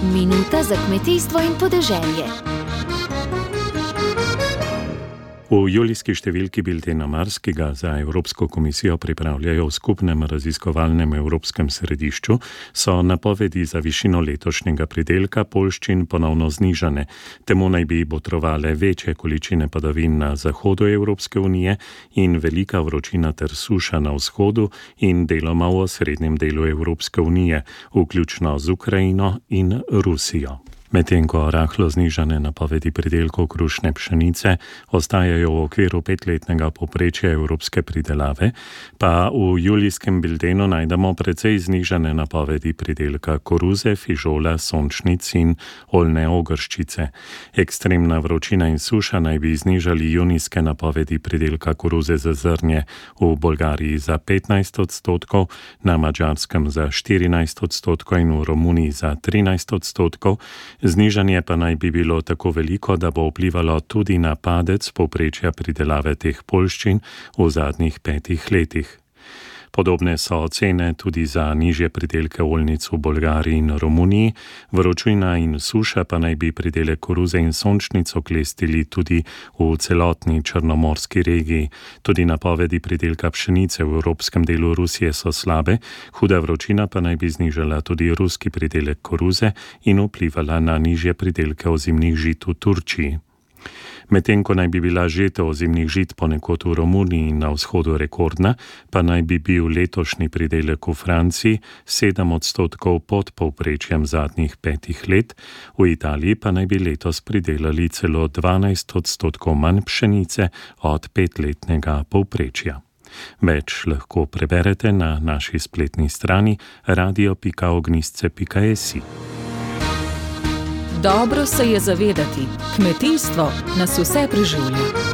Minuta za kmetijstvo in podeželje. V julijski številki Biltena Mars, ki ga za Evropsko komisijo pripravljajo v skupnem raziskovalnem evropskem središču, so napovedi za višino letošnjega pridelka poljščin ponovno znižane. Temu naj bi botrovale večje količine padavin na zahodu Evropske unije in velika vročina ter suša na vzhodu in deloma v osrednjem delu Evropske unije, vključno z Ukrajino in Rusijo. Medtem ko rahlo znižane napovedi pridelkov krušne pšenice ostajajo v okviru 5-letnega povprečja evropske pridelave, pa v julijskem biltenu najdemo precej znižane napovedi pridelka koruze, fižola, sončnic in oljne ogrščice. Ekstremna vročina in suša naj bi znižali junijske napovedi pridelka koruze za zrnje v Bolgariji za 15%, na Madžarskem za 14% in v Romuniji za 13%. Znižanje pa naj bi bilo tako veliko, da bo vplivalo tudi na padec povprečja pridelave teh poljščin v zadnjih 5 letih. Podobne so ocene tudi za nižje pridelke oljnic v Bolgariji in Romuniji, vročina in suša pa naj bi pridelek koruze in sončnic oklestili tudi v celotni črnomorski regiji. Tudi napovedi pridelka pšenice v evropskem delu Rusije so slabe, huda vročina pa naj bi znižala tudi ruski pridelek koruze in vplivala na nižje pridelke ozimnih žit v Turčiji. Medtem ko naj bi bila žetev ozimnih žit ponekod v Romuniji in na vzhodu rekordna, pa naj bi bil letošnji pridelek v Franciji 7% pod povprečjem zadnjih 5 let, v Italiji pa naj bi letos pridelali celo 12% manj pšenice od 5-letnega povprečja. Več lahko preberete na naši spletni strani radio.ognisce.si. Dobro se je zavedati, kmetijstvo nas vse preživlja.